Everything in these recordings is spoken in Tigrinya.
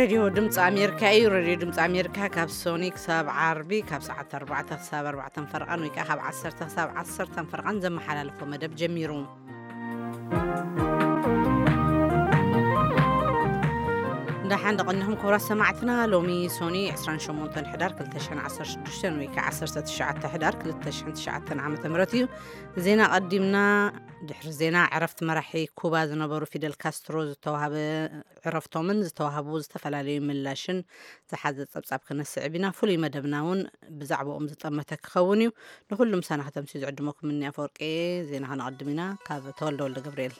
ሬድዮ ድምፂ ኣሜሪካ እዩ። ሬድዮ ድምፂ ኣሜሪካ ካብ ሶኒ ክሳብ ዓርቢ ካብ ሰዓት ኣርባዕተ ክሳብ ኣርባዕተን ፈርቓን ወይ ከዓ ካብ ዓሰርተ ክሳብ ዓሰርተን ፈርቓን ዘመሓላልፎ መደብ ጀሚሩ። እንዳሓን ደቐኒኹም ክቡራት ሰማዕትና። ሎሚ ሶኒ ዕስራን ሸሞንተን ሕዳር ክልተ ሽሕን ዓሰርተ ሽዱሽተን ወይ ከዓ ዓሰርተ ትሽዓተ ሕዳር ክልተ ሽሕን ትሽዓተን ዓመተ ምህረት እዩ። ዜና ቀዲምና። ድሕሪ ዜና፣ ዕረፍቲ መራሒ ኩባ ዝነበሩ ፊደል ካስትሮ ዝተዋህበ ዕረፍቶምን ዝተዋህቡ ዝተፈላለዩ ምላሽን ዝሓዘ ጸብጻብ ክነስዕብ ኢና። ፍሉይ መደብና እውን ብዛዕባኦም ዝጠመተ ክኸውን እዩ። ንኹሉ ምሳና ከተምስዩ ዝዕድመኩም እኒ ኣፈወርቂ። ዜና ከነቐድም ኢና። ካብ ተወልደ ወልደ ገብርኤል።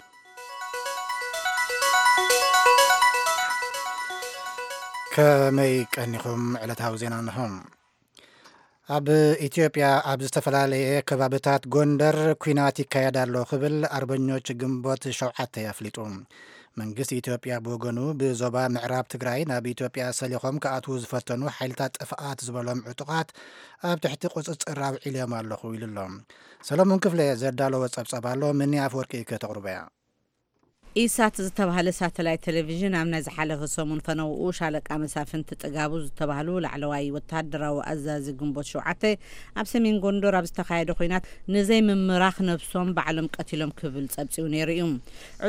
ከመይ ቀኒኹም? ዕለታዊ ዜና እንሆ። ኣብ ኢትዮጵያ ኣብ ዝተፈላለየ ከባብታት ጎንደር ኲናት ይካየድ ኣሎ ክብል ኣርበኞች ግንቦት ሸውዓተ ኣፍሊጡ። መንግስቲ ኢትዮጵያ ብወገኑ ብዞባ ምዕራብ ትግራይ ናብ ኢትዮጵያ ሰሊኾም ክኣትዉ ዝፈተኑ ሓይልታት ጥፍኣት ዝበሎም ዕጡቓት ኣብ ትሕቲ ቁፅፅር ኣውዒልዮም ኣለኹ ኢሉ ኣሎ። ሰለሞን ክፍለ ዘዳለዎ ጸብጻብ ኣሎ፣ ምኒ ኣፍወርቂ ከተቕርቦ እያ። ኢሳት ዝተባህለ ሳተላይት ቴሌቪዥን ኣብ ናይ ዝሓለፈ ሰሙን ፈነውኡ ሻለቃ መሳፍንቲ ጥጋቡ ዝተባህሉ ላዕለዋይ ወተሃደራዊ ኣዛዚ ግንቦት ሸውዓተ ኣብ ሰሜን ጎንደር ኣብ ዝተኻየደ ኲናት ንዘይምምራኽ ነብሶም ባዕሎም ቀቲሎም ክብል ጸብጺቡ ነይሩ እዩ።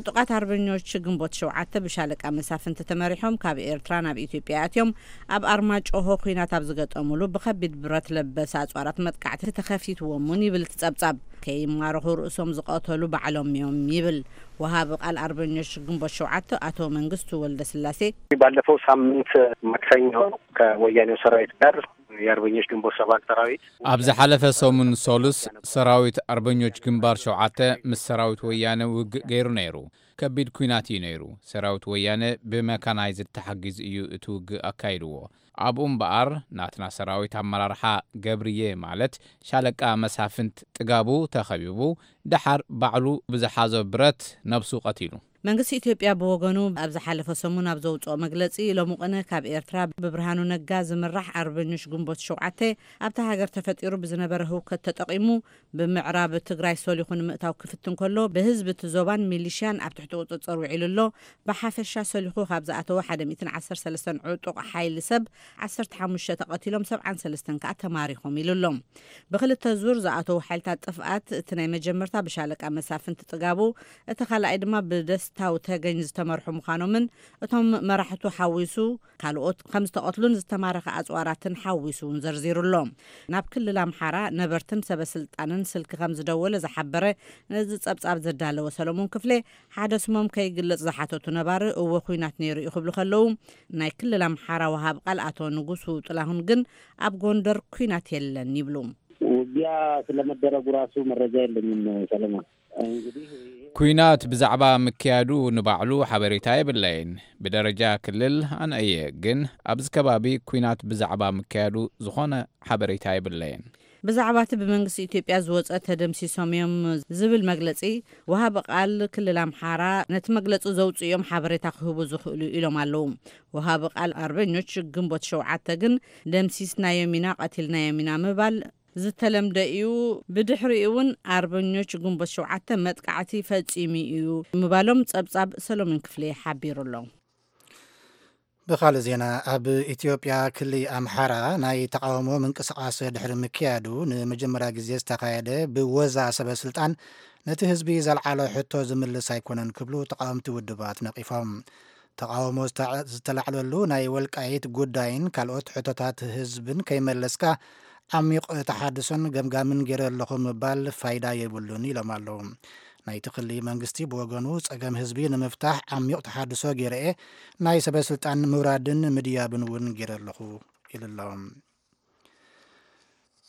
ዕጡቓት ኣርበኞች ግንቦት ሸውዓተ ብሻለቃ መሳፍንቲ ተመሪሖም ካብ ኤርትራ ናብ ኢትዮጵያ ኣትዮም ኣብ ኣርማጭሆ ኲናት ኣብ ዝገጠሙሉ ብኸቢድ ብረት ለበስ ኣጽዋራት መጥቃዕቲ ተኸፊትዎም እውን ይብል እቲ ጸብጻብ። ከይማረኹ ርእሶም ዝቐተሉ ባዕሎም እዮም ይብል ወሃቢ ቃል ኣርበኞች ግንቦት ሸውዓተ ኣቶ መንግስቱ ወልደ ስላሴ። ባለፈው ሳምንት ማክሰኞ ከወያኔው ሰራዊት ጋር የአርበኞች ግንቦት ሰባት ሰራዊት ኣብ ዝሓለፈ ሰሙን ሶሉስ ሰራዊት ኣርበኞች ግንባር ሸውዓተ ምስ ሰራዊት ወያነ ውግእ ገይሩ ነይሩ። ከቢድ ኲናት እዩ ነይሩ። ሰራዊት ወያነ ብመካናይዝድ ተሓጊዙ እዩ እቲ ውግእ ኣካይድዎ። ኣብኡ እምበኣር ናትና ሰራዊት ኣመራርሓ ገብርዬ ማለት ሻለቃ መሳፍንት ጥጋቡ ተኸቢቡ፣ ደሓር ባዕሉ ብዝሓዞ ብረት ነብሱ ቀቲሉ። መንግስቲ ኢትዮጵያ ብወገኑ ኣብ ዝሓለፈ ሰሙን ኣብ ዘውፅኦ መግለፂ፣ ሎሚ ቅነ ካብ ኤርትራ ብብርሃኑ ነጋ ዝምራሕ ኣርበኞች ግንቦት ሸውዓተ ኣብታ ሃገር ተፈጢሩ ብዝነበረ ህውከት ተጠቒሙ ብምዕራብ ትግራይ ሰሊኹ ንምእታው ክፍትን ከሎ፣ ብህዝቢ እቲ ዞባን ሚሊሽያን ኣብ ትሕቲ ቁፅፅር ውዒሉ ኣሎ። ብሓፈሻ ሰሊኹ ካብ ዝኣተወ ሓደ ሚእትን ዓሰርተ ሰለስተን ዕጡቕ ሓይሊ ሰብ ዓሰርተ ሓሙሽተ ተቐቲሎም፣ ሰብዓን ሰለስተን ከኣ ተማሪኾም ኢሉ ኣሎ። ብክልተ ዙር ዝኣተዉ ሓይልታት ጥፍኣት፣ እቲ ናይ መጀመርታ ብሻለቃ መሳፍንቲ ጥጋቡ፣ እቲ ካልኣይ ድማ ብደስታው ተገኝ ዝተመርሑ ምዃኖምን እቶም መራሕቱ ሓዊሱ ካልኦት ከም ዝተቐትሉን ዝተማረኸ ኣጽዋራትን ሓዊሱ እውን ዘርዚሩ ኣሎ። ናብ ክልል ኣምሓራ ነበርትን ሰበ ስልጣንን ስልኪ ከም ዝደወለ ዝሓበረ ነዚ ጸብጻብ ዘዳለወ ሰለሞን ክፍሌ፣ ሓደ ስሞም ከይግለጽ ዝሓተቱ ነባሪ እወ ኲናት ነይሩ እዩ ክብሉ ከለዉ፣ ናይ ክልል ኣምሓራ ወሃብ ቃል ኣቶ ንጉሱ ጥላሁን ግን ኣብ ጎንደር ኲናት የለን ይብሉ። ውጊያ ስለመደረጉ ራሱ መረጃ የለኝም ሰለሞን። እንግዲህ ኲናት ብዛዕባ ምክያዱ ንባዕሉ ሓበሬታ የብለይን። ብደረጃ ክልል ኣነ እየ፣ ግን ኣብዚ ከባቢ ኲናት ብዛዕባ ምክያዱ ዝኾነ ሓበሬታ የብለይን። ብዛዕባ እቲ ብመንግስቲ ኢትዮጵያ ዝወፀ ተደምሲሶም እዮም ዝብል መግለፂ፣ ወሃቢ ቃል ክልል ኣምሓራ ነቲ መግለፂ ዘውፅኡ እዮም ሓበሬታ ክህቡ ዝኽእሉ ኢሎም ኣለዉ። ወሃቢ ቃል ኣርበኞች ግንቦት ሸውዓተ ግን ደምሲስናዮም ኢና፣ ቀቲልናዮም ኢና ምባል ዝተለምደ እዩ። ብድሕሪኡ እውን ኣርበኞች ግንቦት ሸውዓተ መጥቃዕቲ ፈጺሙ እዩ ምባሎም ጸብጻብ ሰሎሞን ክፍሌ ሓቢሩ ኣሎ። ብኻልእ ዜና፣ ኣብ ኢትዮጵያ ክሊ ኣምሓራ ናይ ተቃውሞ ምንቅስቃስ ድሕሪ ምክያዱ፣ ንመጀመርያ ግዜ ዝተኻየደ ብወዛ ሰበ ስልጣን ነቲ ህዝቢ ዘልዓሎ ሕቶ ዝምልስ ኣይኮነን ክብሉ ተቃወምቲ ውድባት ነቂፎም። ተቃውሞ ዝተ-፣ ዝተላዕለሉ ናይ ወልቃይት ጉዳይን ካልኦት ሕቶታት ህዝብን ከይመለስካ፣ ዓሚቕ ተሓድሶን ገምጋምን ገይረ ኣለኹ ምባል ፋይዳ የብሉን ኢሎም ኣለዉ። ናይቲ ክሊ መንግስቲ ብወገኑ፣ ጸገም ህዝቢ ንምፍታሕ ዓሚቕ ተሓድሶ ገይረ እየ፣ ናይ ሰበ ስልጣን ምውራድን ምድያብን እውን ገይረ ኣለኹ ኢሉ ኣሎ።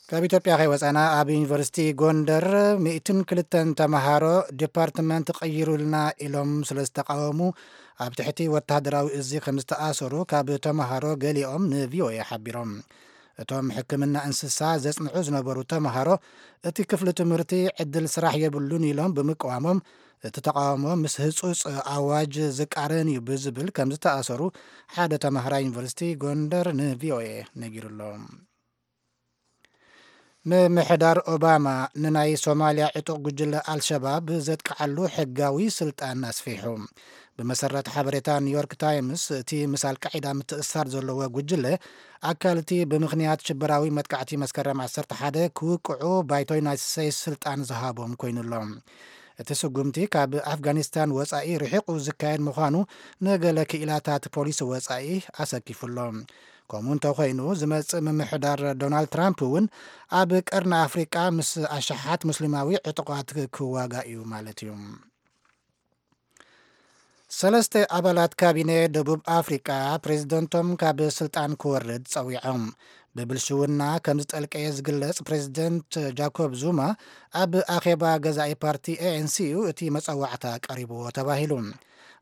ካብ ኢትዮጵያ ከይወጻና፣ ኣብ ዩኒቨርሲቲ ጎንደር ሚእትን ክልተን ተምሃሮ ዲፓርትመንት ቀይሩልና ኢሎም ስለ ዝተቃወሙ፣ ኣብ ትሕቲ ወተሃደራዊ እዚ ከም ዝተኣሰሩ ካብ ተምሃሮ ገሊኦም ንቪኦኤ ሓቢሮም። እቶም ሕክምና እንስሳ ዘጽንዑ ዝነበሩ ተምሃሮ፣ እቲ ክፍሊ ትምህርቲ ዕድል ስራሕ የብሉን ኢሎም ብምቅዋሞም፣ እቲ ተቃውሞ ምስ ህጹጽ ኣዋጅ ዝቃረን እዩ ብዝብል ከም ዝተኣሰሩ ሓደ ተምሃራይ ዩኒቨርሲቲ ጎንደር ንቪኦኤ ነጊሩ ኣሎ። ምምሕዳር ኦባማ ንናይ ሶማልያ ዕጡቕ ጉጅለ ኣልሸባብ ዘጥቅዓሉ ሕጋዊ ስልጣን ኣስፊሑ። ብመሰረት ሓበሬታ ኒውዮርክ ታይምስ፣ እቲ ምስ ኣልቃዒዳ ምትእስሳር ዘለዎ ጉጅለ፣ ኣካል እቲ ብምኽንያት ሽበራዊ መጥቃዕቲ መስከረም ዓሰርተ ሓደ ክውቅዑ ባይቶ ዩናይትድ ስቴትስ ስልጣን ዝሃቦም ኮይኑ ኣሎ። እቲ ስጉምቲ ካብ ኣፍጋኒስታን ወጻኢ ርሒቑ ዝካየድ ምዃኑ፣ ንገለ ክኢላታት ፖሊሲ ወጻኢ ኣሰኪፉ ኣሎ። ከምኡ እንተኾይኑ፣ ዝመጽእ ምምሕዳር ዶናልድ ትራምፕ እውን ኣብ ቀርኒ ኣፍሪቃ ምስ ኣሽሓት ሙስሊማዊ ዕጡቓት ክዋጋእ እዩ ማለት እዩ። ሰለስተ ኣባላት ካቢነ ደቡብ ኣፍሪቃ፣ ፕሬዝደንቶም ካብ ስልጣን ክወርድ ጸዊዖም። ብብልሽውና ከም ዝጠልቀየ ዝግለጽ ፕሬዝደንት ጃኮብ ዙማ፣ ኣብ ኣኼባ ገዛኢ ፓርቲ ኤ ኤን ሲ እዩ እቲ መጸዋዕታ ቀሪብዎ ተባሂሉ።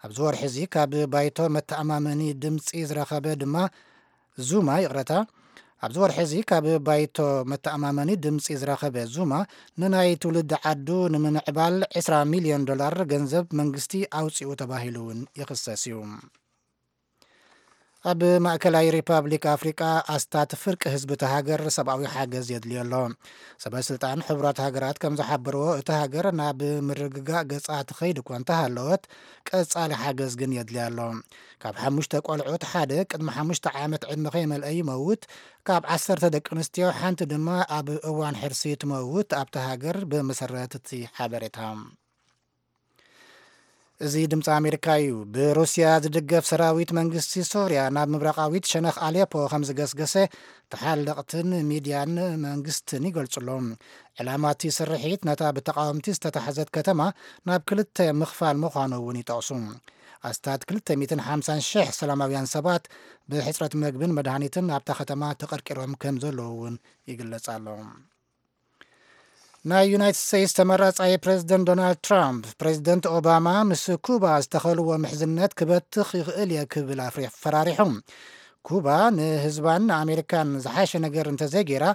ኣብዚ ወርሒ እዚ ካብ ባይቶ መተኣማመኒ ድምጺ ዝረኸበ ድማ፣ ዙማ፣ ይቕረታ፣ ኣብዚ ወርሒ እዚ ካብ ባይቶ መተኣማመኒ ድምጺ ዝረኸበ ዙማ፣ ንናይ ትውልዲ ዓዱ ንምምዕባል ዕስራ ሚልዮን ዶላር ገንዘብ መንግስቲ ኣውጺኡ ተባሂሉ እውን ይኽሰስ እዩ። ኣብ ማእከላይ ሪፓብሊክ ኣፍሪቃ፣ ኣስታት ፍርቂ ህዝቢ እቲ ሃገር ሰብኣዊ ሓገዝ የድልዮ ኣሎ። ሰበ ስልጣን ሕቡራት ሃገራት ከም ዝሓበርዎ፣ እቲ ሃገር ናብ ምርግጋእ ገጻ ትኸይድ እኳ እንተሃለወት፣ ቀጻሊ ሓገዝ ግን የድልያ ኣሎ። ካብ ሓሙሽተ ቆልዑት ሓደ ቅድሚ ሓሙሽተ ዓመት ዕድመ ከይመልአ ይመውት። ካብ ዓሰርተ ደቂ ኣንስትዮ ሓንቲ ድማ ኣብ እዋን ሕርሲ ትመውት፣ ኣብቲ ሃገር፣ ብመሰረት እቲ ሓበሬታ። እዚ ድምፂ ኣሜሪካ እዩ። ብሩስያ ዝድገፍ ሰራዊት መንግስቲ ሶርያ ናብ ምብራቓዊት ሸነኽ ኣሌፖ ከም ዝገስገሰ ተሓለቕትን ሚድያን መንግስትን ይገልጹ ኣለዉ። ዕላማ እቲ ስርሒት ነታ ብተቓወምቲ ዝተታሕዘት ከተማ ናብ ክልተ ምኽፋል ምዃኑ እውን ይጠቕሱ። ኣስታት ክልተ ሚእትን ሓምሳን ሽሕ ሰላማውያን ሰባት ብሕጽረት መግብን መድሃኒትን ኣብታ ከተማ ተቐርቂሮም ከም ዘለዉ እውን ይግለጽ ኣሎ። ናይ ዩናይትድ ስቴትስ ተመራጻይ ፕሬዝደንት ዶናልድ ትራምፕ፣ ፕሬዝደንት ኦባማ ምስ ኩባ ዝተኸልዎ ምሕዝነት ክበትኽ ይኽእል እየ ክብል ኣፍሪ-፣ ፈራሪሑ። ኩባ ንህዝባን ንኣሜሪካን ዝሓሸ ነገር እንተዘይገይራ፣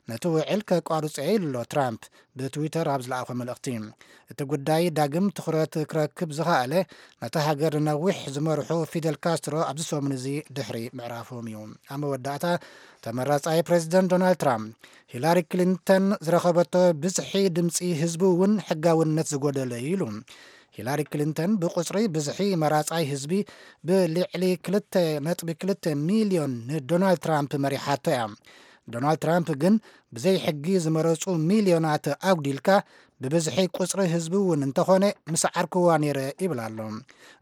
ነቲ ውዕል ከቋርጾ እየ ኢሉ ኣሎ ትራምፕ፣ ብትዊተር ኣብ ዝለኣኾ መልእኽቲ። እቲ ጉዳይ ዳግም ትኹረት ክረክብ ዝኸኣለ፣ ነታ ሃገር ንነዊሕ ዝመርሑ ፊደል ካስትሮ ኣብዚ ሰሙን እዚ ድሕሪ ምዕራፎም እዩ። ኣብ መወዳእታ፣ ተመራጻይ ፕሬዝደንት ዶናልድ ትራምፕ፣ ሂላሪ ክሊንተን ዝረኸበቶ ብዝሒ ድምጺ ህዝቢ እውን ሕጋውነት ዝጎደለ እዩ ኢሉ። ሂላሪ ክሊንተን ብቁጽሪ ብዝሒ መራጻይ ህዝቢ ብልዕሊ ክልተ ነጥቢ ክልተ ሚልዮን ንዶናልድ ትራምፕ መሪሓቶ እያ። ዶናልድ ትራምፕ ግን፣ ብዘይ ሕጊ ዝመረጹ ሚልዮናት ኣጉዲልካ፣ ብብዝሒ ቁጽሪ ህዝቢ እውን እንተኾነ ምስ ዓርክዋ ነይረ ይብል ኣሎ።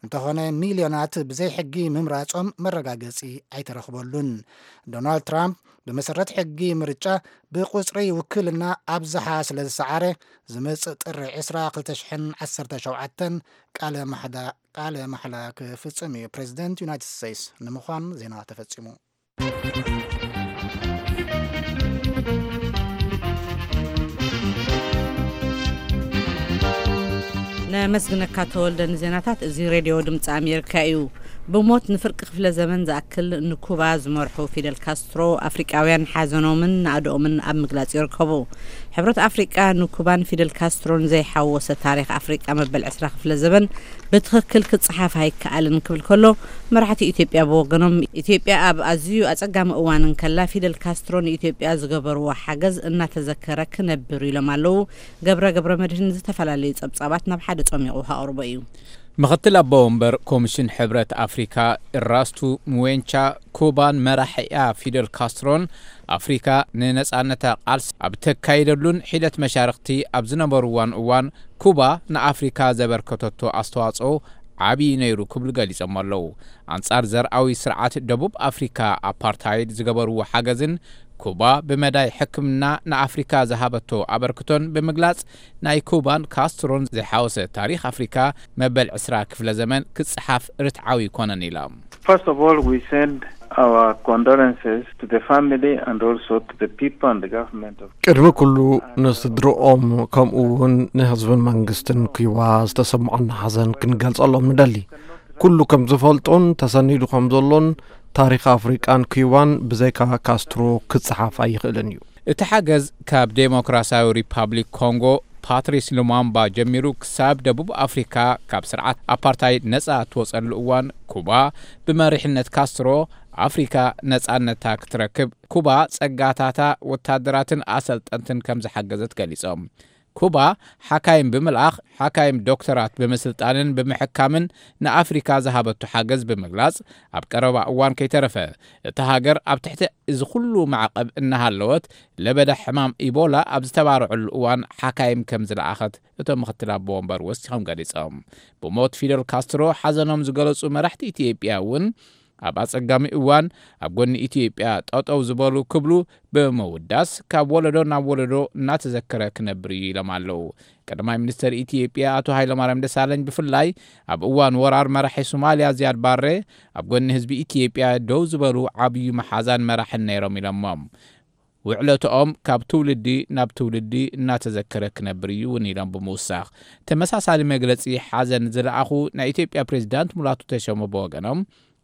እንተኾነ፣ ሚልዮናት ብዘይ ሕጊ ምምራጾም መረጋገጺ ኣይተረኽበሉን። ዶናልድ ትራምፕ ብመሰረት ሕጊ ምርጫ ብቁጽሪ ውክልና ኣብዝሓ ስለ ዝሰዓረ፣ ዝመጽእ ጥሪ ዕስራ ክልተ ሽሕን ዓሰርተ ሸውዓተን ቃለ ማሕዳ-፣ ቃለ ማሕላ ክፍጽም እዩ። ፕሬዚደንት ዩናይትድ ስቴትስ ንምዃን ዜና ተፈጺሙ። ነመስግነካ ተወልደ ንዜናታት። እዚ ሬድዮ ድምፂ ኣሜሪካ እዩ። ብሞት ንፍርቂ ክፍለ ዘመን ዝኣክል ንኩባ ዝመርሑ ፊደል ካስትሮ፣ ኣፍሪቃውያን ሓዘኖምን ናእድኦምን ኣብ ምግላጽ ይርከቡ። ሕብረት ኣፍሪቃ ንኩባን ፊደል ካስትሮን ዘይሓወሰ ታሪኽ ኣፍሪቃ መበል ዕስራ ክፍለ ዘመን ብትኽክል ክጸሓፍ ኣይከኣልን ክብል ከሎ፣ መራሕቲ ኢትዮጵያ ብወገኖም፣ ኢትዮጵያ ኣብ ኣዝዩ ኣጸጋሚ እዋን እንከላ፣ ፊደል ካስትሮ ንኢትዮጵያ ዝገበርዎ ሓገዝ እናተዘከረ ክነብር ኢሎም ኣለዉ። ገብረ ገብረ መድህን ዝተፈላለዩ ጸብጻባት ናብ ሓደ ጸሚቑ ከቕርቦ እዩ። ምኽትል ኣቦ ወንበር ኮሚሽን ሕብረት ኣፍሪካ ኢራስቱ ሙዌንቻ፣ ኩባን መራሒኣ ፊደል ካስትሮን ኣፍሪካ ንነጻነታ ቃልሲ ኣብ ተካይደሉን ሒደት መሻርኽቲ ኣብ ዝነበርዋን እዋን፣ ኩባ ንኣፍሪካ ዘበርከተቶ ኣስተዋጽኦ ዓብዪ ነይሩ ክብሉ ገሊጾም ኣለዉ። ኣንጻር ዘርኣዊ ስርዓት ደቡብ ኣፍሪካ ኣፓርታይድ ዝገበርዎ ሓገዝን ኩባ ብመዳይ ሕክምና ንኣፍሪካ ዝሃበቶ ኣበርክቶን ብምግላጽ፣ ናይ ኩባን ካስትሮን ዘይሓወሰ ታሪኽ ኣፍሪካ መበል ዕስራ ክፍለ ዘመን ክጸሓፍ ርትዓዊ ኣይኮነን ኢሎም። First of all, we send our condolences to the family and also to the people and the government of ቅድሚ ኩሉ ንስድርኦም ከምኡ እውን ንህዝብን መንግስትን ኩባ ዝተሰምዖና ሓዘን ክንገልጸሎም ንደሊ። ኩሉ ከም ዝፈልጦን ተሰኒዱ ከም ዘሎን ታሪኽ ኣፍሪቃን ኩባን ብዘይካ ካስትሮ ክጸሓፍ ኣይኽእልን እዩ። እቲ ሓገዝ ካብ ዴሞክራሲያዊ ሪፓብሊክ ኮንጎ ፓትሪስ ሉማምባ ጀሚሩ ክሳብ ደቡብ ኣፍሪካ ካብ ስርዓት ኣፓርታይድ ነጻ እትወጸሉ እዋን፣ ኩባ ብመሪሕነት ካስትሮ ኣፍሪካ ነጻነታ ክትረክብ ኩባ ጸጋታታ ወታደራትን ኣሰልጠንትን ከም ዝሓገዘት ገሊጾም። ኩባ ሓካይም ብምልኣኽ፣ ሓካይም ዶክተራት ብምስልጣንን ብምሕካምን ንኣፍሪካ ዝሃበቱ ሓገዝ ብምግላጽ፣ ኣብ ቀረባ እዋን ከይተረፈ እታ ሃገር ኣብ ትሕቲ እዚ ኩሉ ማዕቐብ እናሃለወት፣ ለበዳ ሕማም ኢቦላ ኣብ ዝተባርዐሉ እዋን ሓካይም ከም ዝለኣኸት እቶም ምክትል ኣቦ ወንበር ወሲኾም ገሊጾም። ብሞት ፊደል ካስትሮ ሓዘኖም ዝገለጹ መራሕቲ ኢትዮጵያ እውን፣ ኣብ ኣጸጋሚ እዋን ኣብ ጎኒ ኢትዮጵያ ጠጠው ዝበሉ ክብሉ ብምውዳስ፣ ካብ ወለዶ ናብ ወለዶ እናተዘከረ ክነብር እዩ ኢሎም ኣለዉ። ቀዳማይ ሚኒስተር ኢትዮጵያ ኣቶ ሃይለማርያም ደሳለኝ ብፍላይ፣ ኣብ እዋን ወራር መራሒ ሶማልያ ዝያድ ባሬ፣ ኣብ ጎኒ ህዝቢ ኢትዮጵያ ደው ዝበሉ ዓብዩ መሓዛን መራሕን ነይሮም ኢሎሞም። ውዕለትኦም ካብ ትውልዲ ናብ ትውልዲ እናተዘከረ ክነብር እዩ እውን ኢሎም ብምውሳኽ፣ ተመሳሳሊ መግለጺ ሓዘን ዝለኣኹ ናይ ኢትዮጵያ ፕሬዚዳንት ሙላቱ ተሾመ ብወገኖም፣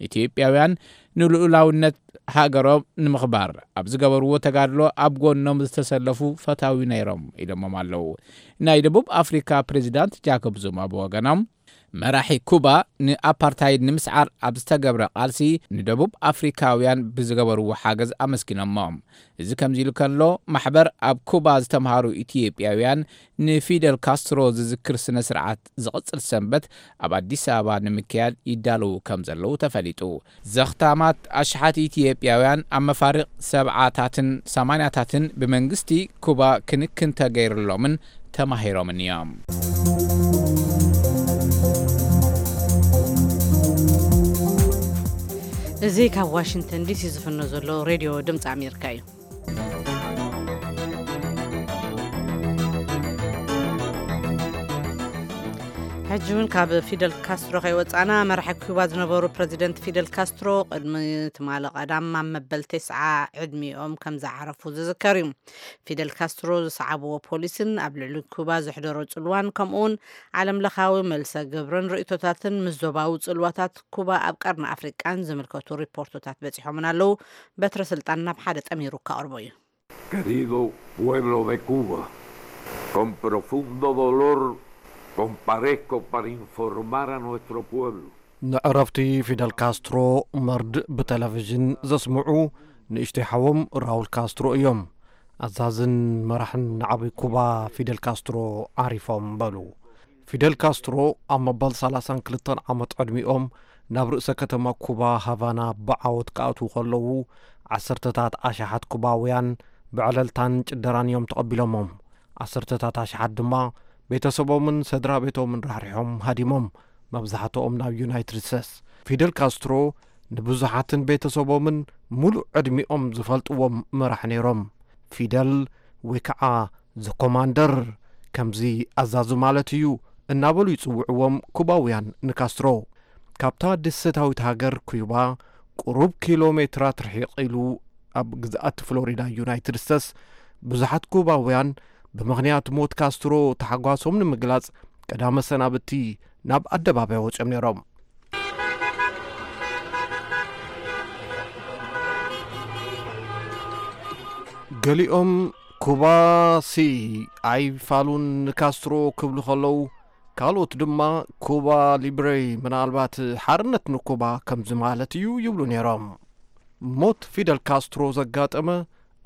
ኢትዮጵያውያን ንልኡላውነት ሃገሮም ንምኽባር ኣብ ዝገበርዎ ተጋድሎ ኣብ ጎኖም ዝተሰለፉ ፈታዊ ነይሮም ኢሎሞም ኣለዉ። ናይ ደቡብ ኣፍሪካ ፕሬዚዳንት ጃኮብ ዙማ ብወገኖም፣ መራሒ ኩባ ንኣፓርታይድ ንምስዓር ኣብ ዝተገብረ ቃልሲ ንደቡብ ኣፍሪካውያን ብዝገበርዎ ሓገዝ ኣመስጊኖሞም። እዚ ከምዚ ኢሉ ከሎ፣ ማሕበር ኣብ ኩባ ዝተምሃሩ ኢትዮጵያውያን ንፊደል ካስትሮ ዝዝክር ስነ ስርዓት ዝቕጽል ሰንበት ኣብ ኣዲስ ኣበባ ንምክያድ ይዳለዉ ከም ዘለዉ ተፈሊጡ። ዘኽታማት ኣሽሓት ኢትዮጵያውያን ኣብ መፋርቕ ሰብዓታትን ሰማንያታትን ብመንግስቲ ኩባ ክንክን ተገይርሎምን ተማሂሮምን እዮም። እዚ ካብ ዋሽንግተን ዲሲ ዝፍኖ ዘሎ ሬድዮ ድምፂ ኣሜሪካ እዩ። ሕጂ እውን ካብ ፊደል ካስትሮ ከይወፃና፣ መራሒ ኩባ ዝነበሩ ፕረዚደንት ፊደል ካስትሮ ቅድሚ ትማሊ ቀዳም ኣብ መበል ተስዓ ዕድሚኦም ከም ዝዓረፉ ዝዝከር እዩ። ፊደል ካስትሮ ዝሰዓብዎ ፖሊስን ኣብ ልዕሊ ኩባ ዘሕደሮ ጽልዋን፣ ከምኡውን ዓለም ለኻዊ መልሰ ግብርን ርእይቶታትን ምስ ዞባዊ ጽልዋታት ኩባ ኣብ ቀርኒ ኣፍሪቃን ዝምልከቱ ሪፖርቶታት በጺሖምን ኣለዉ። በትረ ስልጣን ናብ ሓደ ጠሚሩ ከቕርቦ እዩ። Querido pueblo de Cuba, con profundo dolor comparezco para informar a nuestro pueblo. ንዕረፍቲ ፊደል ካስትሮ መርድእ ብቴሌቪዥን ዘስምዑ ንእሽተይ ሓዎም ራውል ካስትሮ እዮም። ኣዛዝን መራሕን ንዓቢ ኩባ ፊደል ካስትሮ ዓሪፎም በሉ። ፊደል ካስትሮ ኣብ መበል ሰላሳን ክልተን ዓመት ዕድሚኦም ናብ ርእሰ ከተማ ኩባ ሃቫና ብዓወት ክኣትዉ ከለዉ፣ ዓሰርተታት ኣሽሓት ኩባውያን ብዕለልታን ጭደራን እዮም ተቐቢሎሞም። ዓሰርተታት ኣሽሓት ድማ ቤተሰቦምን ስድራ ቤቶምን ራሕሪሖም ሃዲሞም፣ መብዛሕትኦም ናብ ዩናይትድ ስቴትስ። ፊደል ካስትሮ ንብዙሓትን ቤተሰቦምን ሙሉእ ዕድሚኦም ዝፈልጥዎም መራሕ ነይሮም። ፊደል ወይ ከዓ ዘ ኮማንደር፣ ከምዚ ኣዛዙ ማለት እዩ፣ እናበሉ ይጽውዕዎም ኩባውያን ንካስትሮ። ካብታ ደሴታዊት ሃገር ኩባ ቁሩብ ኪሎ ሜትራት ርሒቕ ኢሉ ኣብ ግዝኣት ፍሎሪዳ ዩናይትድ ስቴትስ፣ ብዙሓት ኩባውያን ብምኽንያት ሞት ካስትሮ ተሓጓሶም ንምግላጽ ቀዳመ ሰናብቲ ናብ ኣደባባይ ወጺኦም ነይሮም። ገሊኦም ኩባ ሲ ኣይፋሉን ንካስትሮ ክብሉ ከለዉ፣ ካልኦት ድማ ኩባ ሊብሬ፣ ምናልባት ሓርነት ንኩባ ከምዚ ማለት እዩ ይብሉ ነይሮም። ሞት ፊደል ካስትሮ ዘጋጠመ፣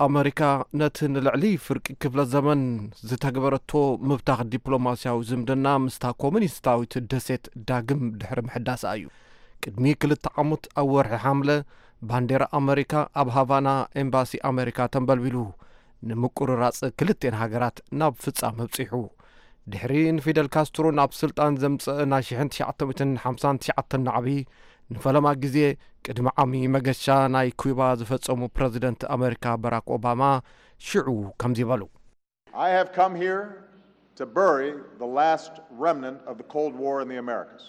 ኣመሪካ ነቲ ንልዕሊ ፍርቂ ክፍለ ዘመን ዝተግበረቶ ምብታኽ ዲፕሎማስያዊ ዝምድና ምስታ ኮሙኒስታዊት ደሴት ዳግም ድሕሪ ምሕዳሳ እዩ። ቅድሚ ክልተ ዓመት ኣብ ወርሒ ሓምለ፣ ባንዴራ ኣመሪካ ኣብ ሃቫና ኤምባሲ ኣመሪካ ተንበልቢሉ፣ ንምቁርራጽ ክልቴን ሃገራት ናብ ፍጻመ ኣብጺሑ። ድሕሪ ንፊደል ካስትሮ ናብ ስልጣን ዘምጽእ ናይ ሽሕን ትሽዓተ ሚእትን ሓምሳን ትሽዓተን ናዕቢ፣ ንፈለማ ግዜ ቅድሚ ዓሚ መገሻ ናይ ኩባ ዝፈጸሙ ፕረዚደንት ኣመሪካ ባራክ ኦባማ ሽዑ ከምዚ በሉ። I have come here to bury the last remnant of the Cold War in the Americas.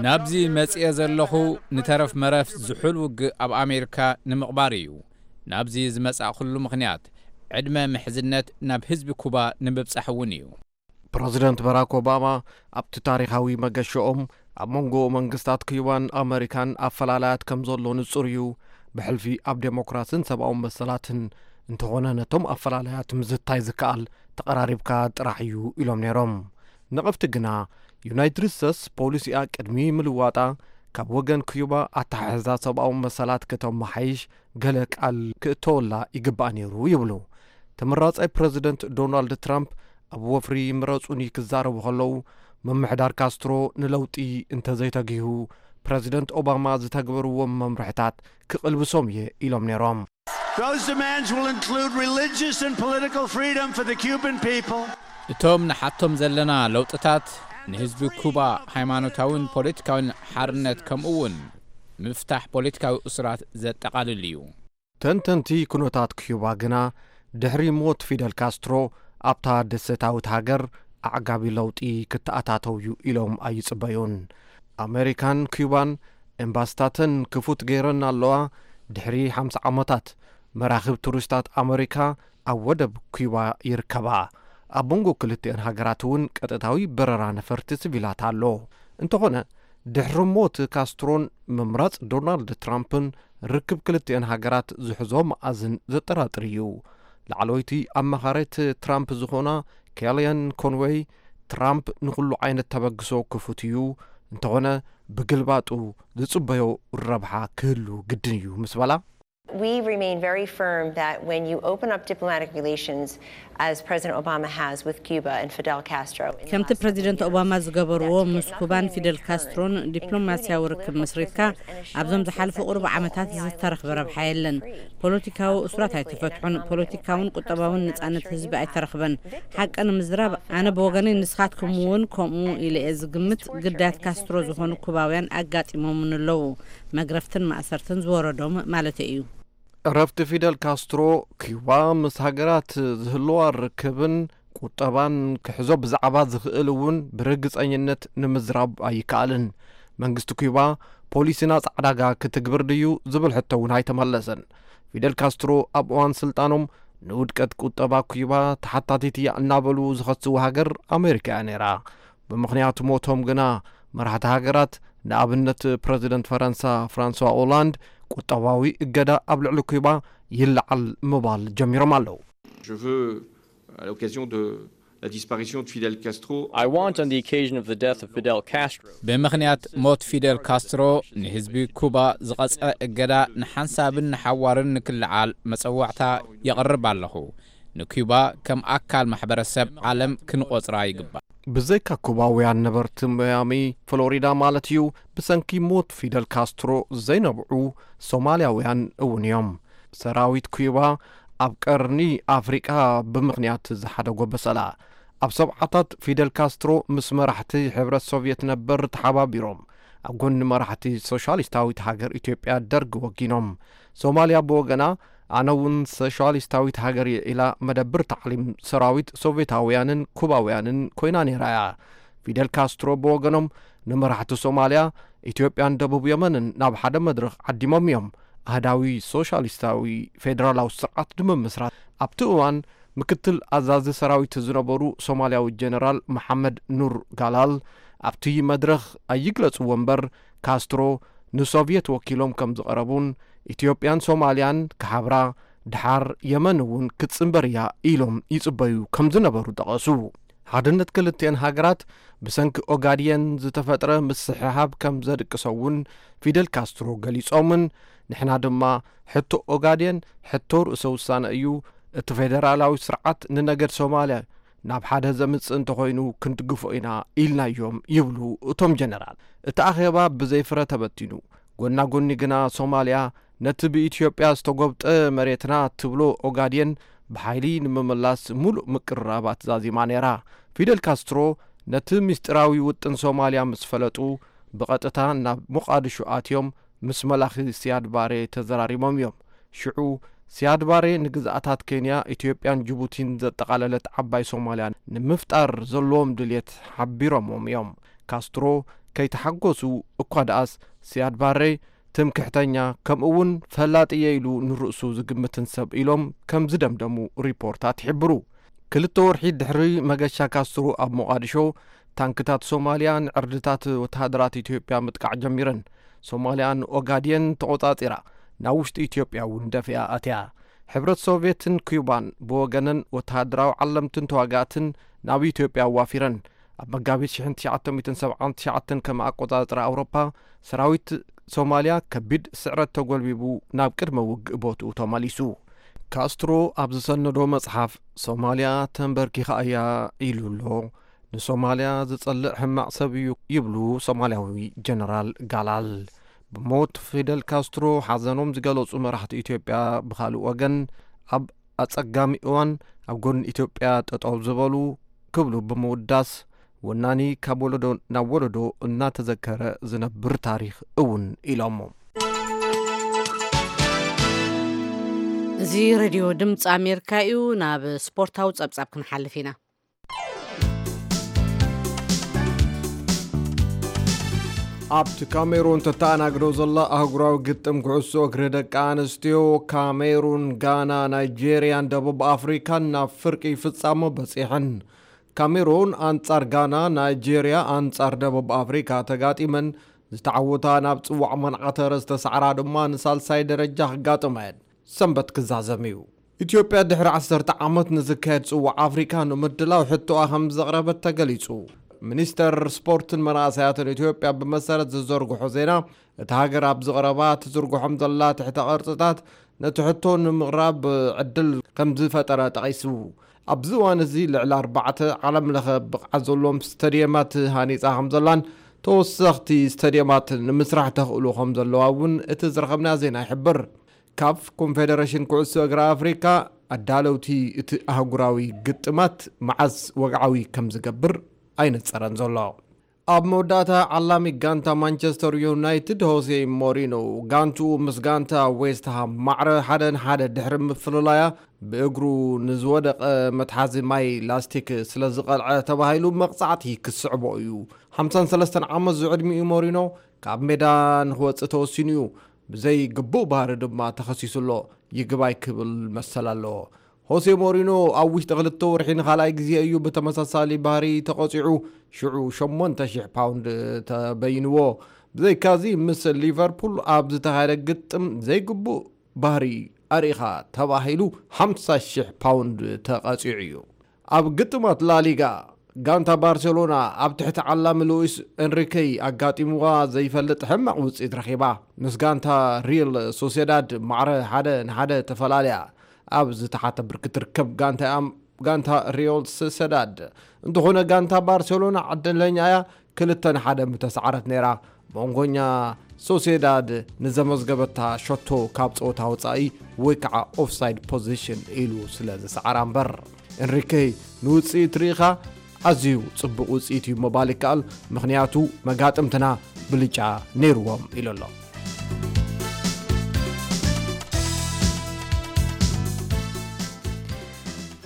ናብዚ መጽኤ ዘለኹ፣ ንተረፍ መረፍ ዝሑል ውግእ ኣብ ኣሜሪካ ንምቕባር እዩ። ናብዚ ዝመጻእኩሉ ምኽንያት፣ ዕድመ ምሕዝነት ናብ ህዝቢ ኩባ ንምብጻሕ እውን እዩ። ፕረዚደንት ባራክ ኦባማ ኣብቲ ታሪኻዊ መገሸኦም፣ ኣብ መንጎ መንግስታት ኩባን ኣመሪካን ኣፈላላያት ከም ዘሎ ንጹር እዩ። ብሕልፊ ኣብ ዴሞክራስን ሰብኣዊ መሰላትን፣ እንተኾነ ነቶም ኣፈላላያት ምዝታይ ዝከኣል ተቐራሪብካ ጥራሕ እዩ ኢሎም ነይሮም። ነቐፍቲ ግና፣ ዩናይትድ ስቴትስ ፖሊሲኣ ቅድሚ ምልዋጣ፣ ካብ ወገን ኩዩባ ኣተሓሕዛ ሰብኣዊ መሰላት ክተመሓይሽ ገለ ቃል ክእተወላ ይግባእ ነይሩ ይብሉ። ተመራጻይ ፕረዚደንት ዶናልድ ትራምፕ ኣብ ወፍሪ ምረጹኒ ክዛረቡ ከለዉ፣ ምምሕዳር ካስትሮ ንለውጢ እንተዘይተጊሁ፣ ፕረዚደንት ኦባማ ዝተግበርዎም መምርሕታት ክቕልብሶም እየ ኢሎም ነይሮም። Those demands will include religious and political freedom for the Cuban people. እቶም ንሓቶም ዘለና ለውጥታት ንህዝቢ ኩባ ሃይማኖታውን ፖለቲካውን ሓርነት ከምኡ እውን ምፍታሕ ፖለቲካዊ እሱራት ዘጠቓልል እዩ። ተንተንቲ ኩነታት ኩባ ግና ድሕሪ ሞት ፊደል ካስትሮ ኣብታ ደሴታዊት ሃገር ኣዕጋቢ ለውጢ ክተኣታተው እዩ ኢሎም ኣይጽበዩን። ኣሜሪካን ኩባን ኤምባሲታተን ክፉት ገይረን ኣለዋ። ድሕሪ ሓምሳ ዓመታት መራኽብ ቱሪስታት ኣሜሪካ ኣብ ወደብ ኩባ ይርከባ። ኣብ መንጎ ክልቲአን ሃገራት እውን ቀጥታዊ በረራ ነፈርቲ ስቪላት ኣሎ። እንተኾነ ድሕሪ ሞት ካስትሮን ምምራጽ ዶናልድ ትራምፕን ርክብ ክልቲአን ሃገራት ዝሕዞ መኣዝን ዘጠራጥር እዩ። ላዕለወይቲ ኣማኻሪት ትራምፕ ዝኾና ኬልያን ኮንወይ፣ ትራምፕ ንኹሉ ዓይነት ተበግሶ ክፉት እዩ፣ እንተኾነ ብግልባጡ ዝጽበዮ ረብሓ ክህሉ ግድን እዩ ምስ በላ፣ We remain very firm that when you open up diplomatic relations, as President Obama has with Cuba and Fidel Castro, in the ከምቲ last ፕረዚደንት several ኦባማ years, ዝገበርዎ that you ምስ get ኩባን nothing in ፊደል return, ካስትሮን ዲፕሎማስያዊ including ርክብ political መስሪትካ customers and ኣብዞም assurances ዝሓለፉ that ቁሩብ people ዓመታት only are ዝተረኽበ going to ረብሓ be የለን። free. ፖለቲካዊ How እሱራት politically and ኣይተፈትሑን። economically ፖለቲካውን right ቁጠባውን and ነጻነት economic ህዝቢ freedom ኣይተረኽበን። victims ሓቂ ንምዝራብ of ኣነ Fidel ብወገነይ Castro's ንስኻትኩም እውን repression ከምኡ and ኢለ እየ Cuba's ዝግምት። torture ግዳያት and his ካስትሮ ዝኾኑ imprisonment. ኩባውያን ኣጋጢሞምን ኣለዉ። መግረፍትን ማእሰርትን ዝወረዶም ማለተይ እዩ። ዕረፍቲ ፊደል ካስትሮ ኩባ ምስ ሃገራት ዝህልዋ ርክብን ቁጠባን ክሕዞ ብዛዕባ ዝኽእል እውን ብርግጸኝነት ንምዝራብ ኣይከኣልን። መንግስቲ ኩባ ፖሊሲ ናጻ ዕዳጋ ክትግብር ድዩ ዝብል ሕቶ እውን ኣይተመለሰን። ፊደል ካስትሮ ኣብ እዋን ስልጣኖም ንውድቀት ቁጠባ ኩባ ተሓታቲት እያ እናበሉ ዝኸስዎ ሃገር ኣሜሪካ እያ ነይራ። ብምኽንያት ሞቶም ግና መራሕቲ ሃገራት ንኣብነት ፕረዚደንት ፈረንሳ ፍራንስዋ ኦላንድ ቁጠባዊ እገዳ ኣብ ልዕሊ ኩባ ይለዓል ምባል ጀሚሮም ኣለዉ። Je veux, à l'occasion de la disparition de Fidel Castro, I want, on the occasion of the death of Fidel Castro, ብምኽንያት ሞት ፊደል ካስትሮ ንህዝቢ ኩባ ዝቐጽዐ እገዳ ንሓንሳብን ንሓዋርን ንክልዓል መጸዋዕታ የቕርብ ኣለኹ። ንኩባ ከም ኣካል ማሕበረሰብ ዓለም ክንቖጽራ ይግባእ። ብዘይካ ኩባውያን ነበርቲ ማያሚ ፍሎሪዳ ማለት እዩ፣ ብሰንኪ ሞት ፊደል ካስትሮ ዘይነብዑ ሶማልያውያን እውን እዮም። ሰራዊት ኩባ ኣብ ቀርኒ ኣፍሪቃ ብምኽንያት ዝሓደጎ በሰላ። ኣብ ሰብዓታት ፊደል ካስትሮ ምስ መራሕቲ ሕብረት ሶቭየት ነበር ተሓባቢሮም ኣብ ጎኒ መራሕቲ ሶሻሊስታዊት ሃገር ኢትዮጵያ ደርግ ወጊኖም። ሶማልያ ብወገና ኣነ እውን ሶሻሊስታዊት ሃገር እየ ኢላ መደብር ታዕሊም ሰራዊት ሶቭየታውያንን ኩባውያንን ኮይና ነይራ እያ። ፊደል ካስትሮ ብወገኖም ንመራሕቲ ሶማልያ፣ ኢትዮጵያን ደቡብ የመንን ናብ ሓደ መድረኽ ዓዲሞም እዮም። ኣህዳዊ ሶሻሊስታዊ ፌደራላዊ ስርዓት ንምምስራት ኣብቲ እዋን ምክትል ኣዛዚ ሰራዊት ዝነበሩ ሶማልያዊ ጀነራል መሓመድ ኑር ጋላል ኣብቲ መድረኽ ኣይግለጽዎ እምበር ካስትሮ ንሶቭየት ወኪሎም ከም ዝቐረቡን ኢትዮጵያን ሶማልያን ክሓብራ ድሓር የመን እውን ክትጽንበር እያ ኢሎም ይጽበዩ ከም ዝነበሩ ጠቐሱ። ሓድነት ክልቲአን ሃገራት ብሰንኪ ኦጋድየን ዝተፈጥረ ምስሕሓብ ከም ዘድቅሶ እውን ፊደል ካስትሮ ገሊጾምን ንሕና ድማ ሕቶ ኦጋድየን ሕቶ ርእሰ ውሳነ እዩ። እቲ ፌደራላዊ ስርዓት ንነገድ ሶማልያ ናብ ሓደ ዘምጽእ እንተኾይኑ ክንድግፎ ኢና ኢልናዮም ይብሉ እቶም ጀነራል። እቲ ኣኼባ ብዘይ ፍረ ተበቲኑ። ጎና ጎኒ ግና ሶማልያ ነቲ ብኢትዮጵያ ዝተጎብጠ መሬትና ትብሎ ኦጋድየን ብሓይሊ ንምምላስ ሙሉእ ምቅርራባት ዛዚማ ነይራ። ፊደል ካስትሮ ነቲ ምስጢራዊ ውጥን ሶማልያ ምስ ፈለጡ ብቐጥታ ናብ ሞቓድሾ ኣትዮም ምስ መላኺ ሲያድ ባሬ ተዘራሪቦም እዮም። ሽዑ ሲያድ ባሬ ንግዝኣታት ኬንያ፣ ኢትዮጵያን ጅቡቲን ዘጠቓለለት ዓባይ ሶማልያ ንምፍጣር ዘለዎም ድልየት ሓቢሮምዎም እዮም። ካስትሮ ከይተሓጎሱ እኳ ደኣስ ሲያድ ባሬ ትምክሕተኛ ከምኡ እውን ፈላጥ እየ ኢሉ ንርእሱ ዝግምትን ሰብ ኢሎም ከም ዝደምደሙ ሪፖርታት ይሕብሩ። ክልተ ወርሒ ድሕሪ መገሻ ካስትሮ ኣብ ሞቓድሾ ታንክታት ሶማልያ ንዕርድታት ወተሃደራት ኢትዮጵያ ምጥቃዕ ጀሚረን። ሶማልያ ንኦጋድየን ተቖጻጺራ ናብ ውሽጢ ኢትዮጵያ እውን ደፊኣ ኣትያ። ሕብረት ሶቭየትን ኩባን ብወገነን ወተሃደራዊ ዓለምትን ተዋጋእትን ናብ ኢትዮጵያ ኣዋፊረን። ኣብ መጋቢት ሽሕን ትሽዓተ ሚእትን ሰብዓን ትሽዓተን ከም ኣቆጻጽራ ኣውሮፓ፣ ሰራዊት ሶማልያ ከቢድ ስዕረት ተጎልቢቡ ናብ ቅድመ ውግእ ቦትኡ ተመሊሱ። ካስትሮ ኣብ ዝሰነዶ መጽሓፍ፣ ሶማልያ ተንበርኪኻ እያ ኢሉ ኣሎ። ንሶማልያ ዝጸልእ ሕማቕ ሰብ እዩ ይብሉ ሶማልያዊ ጀነራል ጋላል። ብሞት ፊደል ካስትሮ ሓዘኖም ዝገለጹ መራሕቲ ኢትዮጵያ ብኻልእ ወገን፣ ኣብ ኣጸጋሚ እዋን ኣብ ጎኒ ኢትዮጵያ ጠጠው ዝበሉ ክብሉ ብምውዳስ፣ ወናኒ ካብ ወለዶ ናብ ወለዶ እናተዘከረ ዝነብር ታሪኽ እውን ኢሎሞ። እዚ ሬድዮ ድምፂ ኣሜሪካ እዩ። ናብ ስፖርታዊ ጸብጻብ ክንሓልፍ ኢና። ኣብቲ ካሜሩን ተተኣናግዶ ዘላ ኣህጉራዊ ግጥም ኩዕሶ እግሪ ደቂ ኣንስትዮ፣ ካሜሩን፣ ጋና፣ ናይጄርያን ደቡብ ኣፍሪካን ናብ ፍርቂ ፍጻሞ በጺሐን። ካሜሩን ኣንጻር ጋና፣ ናይጄርያ ኣንጻር ደቡብ ኣፍሪካ ተጋጢመን ዝተዓወታ ናብ ጽዋዕ መንዓተረ ዝተሳዕራ ድማ ንሳልሳይ ደረጃ ክጋጥማ እየን። ሰንበት ክዛዘም እዩ። ኢትዮጵያ ድሕሪ ዓሰርተ ዓመት ንዝካየድ ጽዋዕ ኣፍሪካ ንምድላው ሕቶኣ ከም ዘቕረበት ተገሊጹ። ሚኒስተር ስፖርትን መናእሰያትን ኢትዮጵያ ብመሰረት ዝዘርግሖ ዜና፣ እታ ሃገር ኣብ ዝቐረባ ትዝርግሖም ዘላ ትሕተ ቅርጽታት ነቲ ሕቶ ንምቕራብ ዕድል ከም ዝፈጠረ ጠቒሱ። ኣብዚ እዋን እዚ ልዕሊ ኣርባዕተ ዓለም ለኸ ብቕዓት ዘለዎም ስተድየማት ሃኒጻ ከም ዘላን ተወሰኽቲ ስተድየማት ንምስራሕ ተኽእሎ ከም ዘለዋ እውን እቲ ዝረኸብና ዜና ይሕብር። ካፍ፣ ኮንፌደሬሽን ኩዕሶ እግሪ ኣፍሪካ፣ ኣዳለውቲ እቲ ኣህጉራዊ ግጥማት መዓስ ወግዓዊ ከም ዝገብር ኣይነጸረን ዘሎ። ኣብ መወዳእታ፣ ዓላሚ ጋንታ ማንቸስተር ዩናይትድ ሆሴ ሞሪኖ፣ ጋንትኡ ምስ ጋንታ ዌስት ሃም ማዕረ ሓደ ንሓደ ድሕሪ ምፍልላያ፣ ብእግሩ ንዝወደቐ መትሓዚ ማይ ላስቲክ ስለ ዝቐልዐ ተባሂሉ መቕጻዕቲ ክስዕቦ እዩ። ሓምሳን ሰለስተን ዓመት ዝዕድሚኡ ሞሪኖ፣ ካብ ሜዳ ንክወጽእ ተወሲኑ እዩ። ብዘይ ግቡእ ባህሪ ድማ ተኸሲሱ ኣሎ። ይግባይ ክብል መሰል ኣለዎ። ሆሴ ሞሪኖ ኣብ ውሽጢ ክልተ ወርሒ ንኻልኣይ ግዜ እዩ ብተመሳሳሊ ባህሪ ተቐጺዑ፣ ሽዑ ሸሞንተ ሽሕ ፓውንድ ተበይንዎ። ብዘይካዚ፣ ምስ ሊቨርፑል ኣብ ዝተኻየደ ግጥም ዘይግቡእ ባህሪ ኣርኢኻ ተባሂሉ ሓምሳ ሽሕ ፓውንድ ተቐጺዑ እዩ። ኣብ ግጥማት ላሊጋ፣ ጋንታ ባርሴሎና ኣብ ትሕቲ ዓላሚ ሉዊስ ኤንሪኬ ኣጋጢምዋ ዘይፈልጥ ሕማቕ ውጽኢት ረኺባ። ምስ ጋንታ ሪል ሶሴዳድ ማዕረ ሓደ ንሓደ ተፈላልያ። ኣብ ዝተሓተ ብርኪ ትርከብ ጋንታ እያ፣ ጋንታ ሪል ሶሴዳድ። እንተኾነ፣ ጋንታ ባርሴሎና ዕድለኛ እያ፣ ክልተ ንሓደ ምተሰዓረት ነይራ። መንጎኛ ሶሴዳድ ንዘመዝገበታ ሸቶ ካብ ጸወታ ወጻኢ ወይ ከዓ ኦፍሳይድ ፖዚሽን ኢሉ ስለ ዝሰዓራ እምበር፣ ኤንሪኬ ንውጽኢት ርኢኻ ኣዝዩ ጽቡቕ ውጽኢት እዩ ምባል ይከኣል፣ ምኽንያቱ መጋጥምትና ብልጫ ነይርዎም ኢሉ ኣሎ።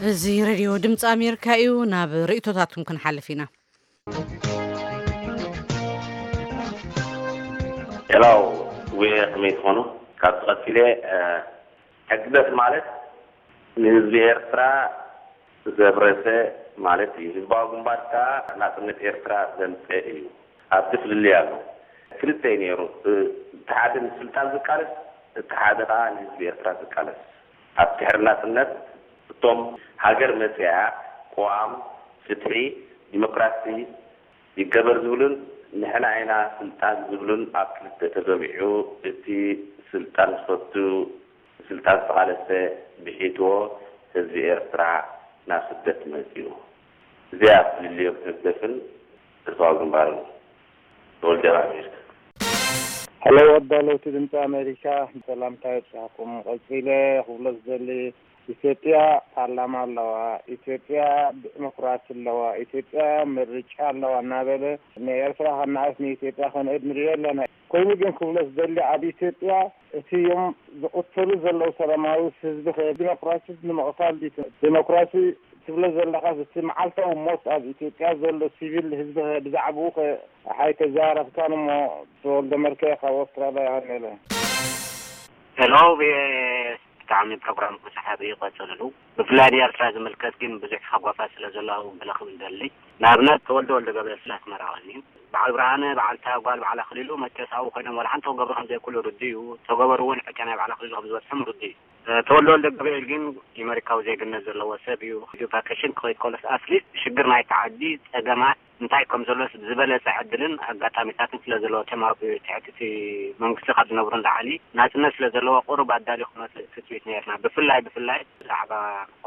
እዚ ሬድዮ ድምፂ ኣሜሪካ እዩ። ናብ ርእይቶታትኩም ክንሓልፍ ኢና። ሄላው፣ ዌ ከመይ ትኾኑ? ካብዚ ቀፂለ፣ እ፣ ሕግደፍ ማለት ንህዝቢ ኤርትራ ዘብረሰ ማለት እዩ። ህዝባዊ ግንባር ከዓ ናፅነት ኤርትራ ዘምፀ እዩ። ኣብቲ ፍልልይ ኣሎ። ክልተ እዩ ነይሩ። እ፣ እቲ ሓደ ንስልጣን ዝቃለስ፣ እቲ ሓደ ከዓ ንህዝቢ ኤርትራ ዝቃለስ። ኣብ ድሕሪ ናፅነት እቶም ሃገር መፅያ ቅዋም፣ ፍትሒ፣ ዲሞክራሲ ይገበር ዝብሉን ንሕና ኢና ስልጣን ዝብሉን ኣብ ክልተ ተገሚዑ፣ እቲ ስልጣን ዝፈቱ ንስልጣን ዝተቓለሰ ብሒትዎ ህዝቢ ኤርትራ ናብ ስደት መፅዩ። እዚኣ ፍልልዮም ህግደፍን ህዝባዊ ግንባርን። ተወልደ ኣሜሪካ። ሄሎ ኣዳለውቲ ድምፂ ኣሜሪካ፣ ሰላምታ ይብፃሕኩም። ቀፂለ ክብሎ ዝደሊ ኢትዮጵያ ፓርላማ ኣለዋ፣ ኢትዮጵያ ዲሞክራሲ ኣለዋ፣ ኢትዮጵያ ምርጫ ኣለዋ እናበለ ንኤርትራ ከነኣእስ ንኢትዮጵያ ከንእድ ንሪኦ ኣለና። ኮይኑ ግን ክብሎ ዝደሊ ኣብ ኢትዮጵያ እቲ ዮም ዝቕተሉ ዘለዉ ሰላማዊ ህዝቢ ከ ዲሞክራሲ ንምቕታል ድዩ? ዲሞክራሲ ትብሎ ዘለኻስ እቲ መዓልታዊ ሞት ኣብ ኢትዮጵያ ዘሎ ሲቪል ህዝቢ ከ ብዛዕብኡ ከ ኣይተዛረብካን እሞ ተወልደ መርከ ካብ ኣውስትራልያ ይቐንየለ። ሄሎ ቪኦኤ፣ ብጣዕሚ ፕሮግራምኩም ሰሓቢ እዩ፣ ቀፅልሉ። ብፍላይ ንኤርትራ ዝምልከት ግን ብዙሕ ሓጓፋት ስለ ዘሎ ኣብኡ ገለ ክብል ደሊ። ንኣብነት ተወልደ ወልደገብርኤል ስለ ኣስመራ ቀንዩ፣ በዓል ብርሃነ፣ በዓልታ ጓል በዓል ኣኽሊሉ መቸስ ኣብኡ ኮይኖም ዋላ ሓንቲ ክገብሩ ከም ዘይክእሉ ርዱእ እዩ። ተገበሩ እውን ዕጫ ናይ በዓል ኣኽሊሉ ከም ዝበፅሖም ርዱእ እዩ። ተወልደ ወልደገብርኤል ግን የመሪካዊ ዜግነት ዘለዎ ሰብ እዩ። ቫኬሽን ክኸይድ ከሎስ ኣትሊስት ሽግር ናይታ ዓዲ፣ ፀገማት፣ እንታይ ከም ዘሎስ ብዝበለጸ ዕድልን ኣጋጣሚታትን ስለ ዘለዎ፣ እቶም ኣብ ትሕቲ እቲ መንግስቲ ካብ ዝነብሩ ንላዕሊ ናጽነት ስለ ዘለዎ፣ ቁሩብ ኣዳሊ ክመጽእ ትጽቢት ነርና። ብፍላይ፣ ብፍላይ ብዛዕባ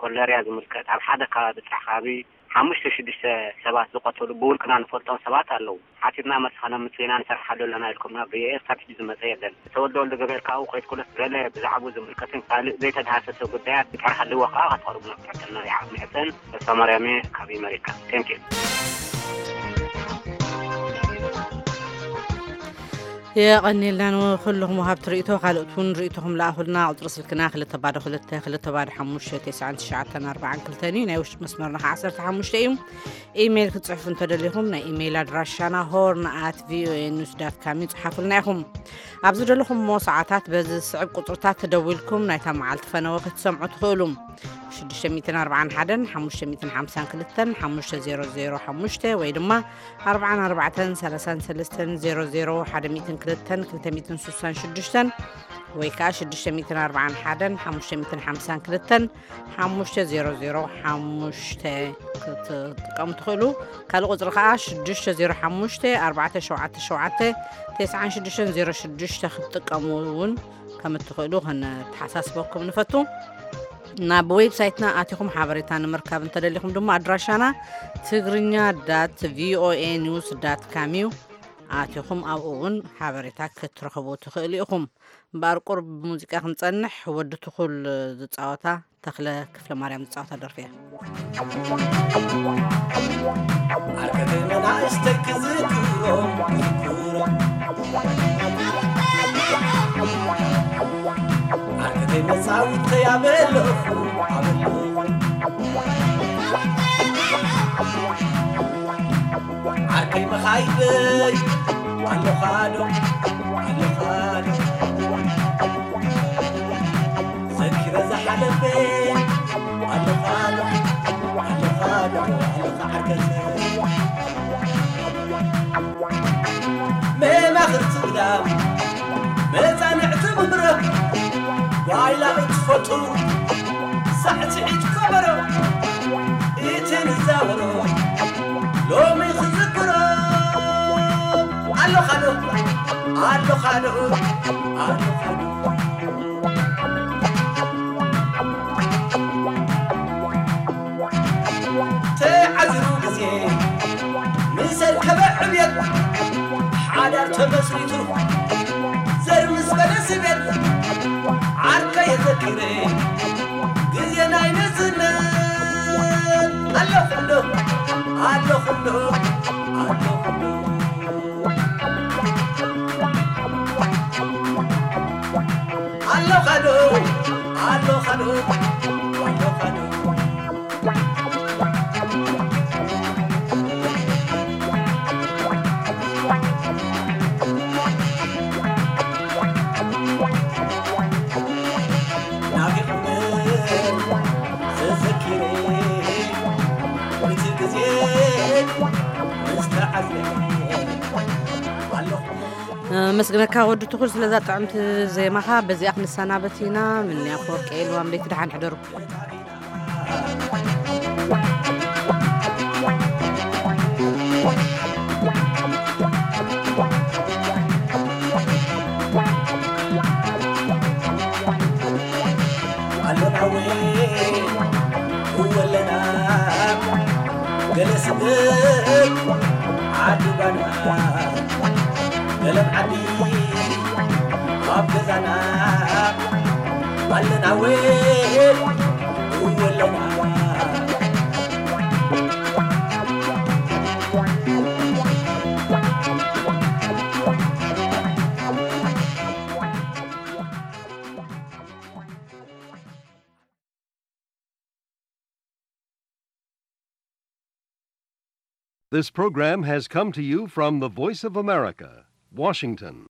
ኮለርያ ዝምልከት፣ ኣብ ሓደ ከባቢ ጥራሕ ከባቢ ሓሙሽተ ሽዱሽተ ሰባት ዝቐተሉ ብውልቅና ንፈልጦም ሰባት ኣለዉ። ሓቲትና መልሲ ከነምጽእ ኢና፣ ንሰርሓሉ ኣለና ኢልኩምና፣ ብኤኤስ ካብ ሕጂ ዝመጸ የለን። ተወልደ ወልደ ገብርኤል ካብኡ ከይድኩለስ ገለ ብዛዕባኡ ዝምልከትን ካልእ ዘይተዳህሰሰ ጉዳያት እንድሕር ሃልዎ ከኣ ከተቕርቡና ክትሕተና ይዓብ ምሕጸን። ተስፋ ማርያም እየ ካብ ኣመሪካ። Thank you። የቐንየልና ንኹልኹም ወሃብቲ ርእይቶ። ካልኦት እውን ርእይቶኹም ለኣኹልና። ቁጽሪ ስልክና ክልተ ባዶ ክልተ፣ ክልተ ባዶ ሓሙሽተ፣ ተስዓን ትሽዓተን ኣርባዓን ክልተን እዩ። ናይ ውሽጢ መስመርና ኸዓ ዓሰርተ ሓሙሽተ እዩ። ኢሜይል ክትጽሕፉ እንተደሊኹም፣ ናይ ኢሜይል ኣድራሻና ሆርን ኣት ቪኦኤ ኒውስ ዳት ካም እዩ። ጽሓፉልና ኢኹም። ኣብ ዝደለኹምዎ ሰዓታት በዚ ዝስዕብ ቁጽርታት ተደዊልኩም ናይታ መዓልቲ ፈነወ ክትሰምዑ ትኽእሉ። ሽዱሽተ ሚእትን ኣርባዓን ሓደን፣ ሓሙሽተ ሚእትን ሓምሳን ክልተን፣ ሓሙሽተ ዜሮ ዜሮ ሓሙሽተ ወይ ድማ ኣርባዓን ኣርባዕተን፣ ሰላሳን ሰለስተን፣ ዜሮ ዜሮ፣ ሓደ ሚእትን ክልተን፣ ክልተ ሚእትን ስሳን ሽዱሽተን ወይ ከኣ ሽዱሽተ ሚእትን ኣርባዓን ሓደን፣ ሓሙሽተ ሚእትን ሓምሳን ክልተን፣ ሓሙሽተ ዜሮ ዜሮ ሓሙሽተ ክትጥቀሙ ትኽእሉ። ካልእ ቁጽሪ ከኣ ሽዱሽተ ዜሮ ሓሙሽተ፣ ኣርባዕተ ሸውዓተ ሸውዓተ፣ ተስዓን ሽዱሽተን ዜሮ ሽዱሽተ ክትጥቀሙ እውን ከም እትኽእሉ ከነተሓሳስበኩም ንፈቱ። ናብ ዌብሳይትና ኣቲኹም ሓበሬታ ንምርካብ እንተደሊኹም ድማ ኣድራሻና ትግርኛ ዳት ቪኦኤ ኒውስ ዳት ካም እዩ። ኣቲኹም ኣብኡ እውን ሓበሬታ ክትረኽቡ ትኽእሉ ኢኹም። እምበኣር ቁሩብ ብሙዚቃ ክንጸንሕ፣ ወዲ ትኹል ዝጻወታ ተኽለ ክፍለ ማርያም ዝጻወታ ደርፊ እያ። ዓርከይ መናእሰይ ክዝክሮም፣ ክዝክሮም። ዓርከይ መጻውተይ ኣበለኹ፣ ኣበለኹ። ዓርከይ መኻይደይ ኣለኻ ዶ፣ ኣለኻ ዶ። ዘኪረ ዝሓለፈ ኣለኻ ዶ፣ ኣለኻ ዶ፣ ኣለኻ ዓርከይ። መማኽርቲ ግዳም መጻንዕቲ ምብረቕ ጓይላ እትፈቱ ሳዕስዒት ከበሮ እቲ ንዛወሮ ሎሚ ክዝክሮ ኣለኻ ዶ፣ ኣለኻ ዶ፣ ኣለኻ ዶ። ተዓዚሩ ግዜ ምስ ኣርከበ ዕብየት ሓዳር ተመስሪቱ ዘር ምስ በለ ስቤት ዓርከ የዘኪረ ግዜ ናይ ንእስነት ኣለኹ ዶ ኣለኹ ዶ ኣለኹ ዶ ኣለኻ ዶ ኣለኻ ዶ ኣለኻ ዶ። ናፊቕኩምን ዘዘኪረ እቲ ግዜ ምስ ተዓዝበ ኣለኹ። ኣመስግነካ ወዲ ትኹል ስለዛ ጥዕምቲ ዜማኻ። በዚኣ ክንሰናበት ኢና። ምንያ ኣፈወርቂ ኤልዋም ለይቲ ደሓን ሕደሩ። ኣለና ወይ እወ ኣለና ገለ ስደት ዓዲ ባና ገለ ዓዲ ኣብ ገዛና ኣለና ወይ እወ ኣለና። This program has come to you from the Voice of America, Washington.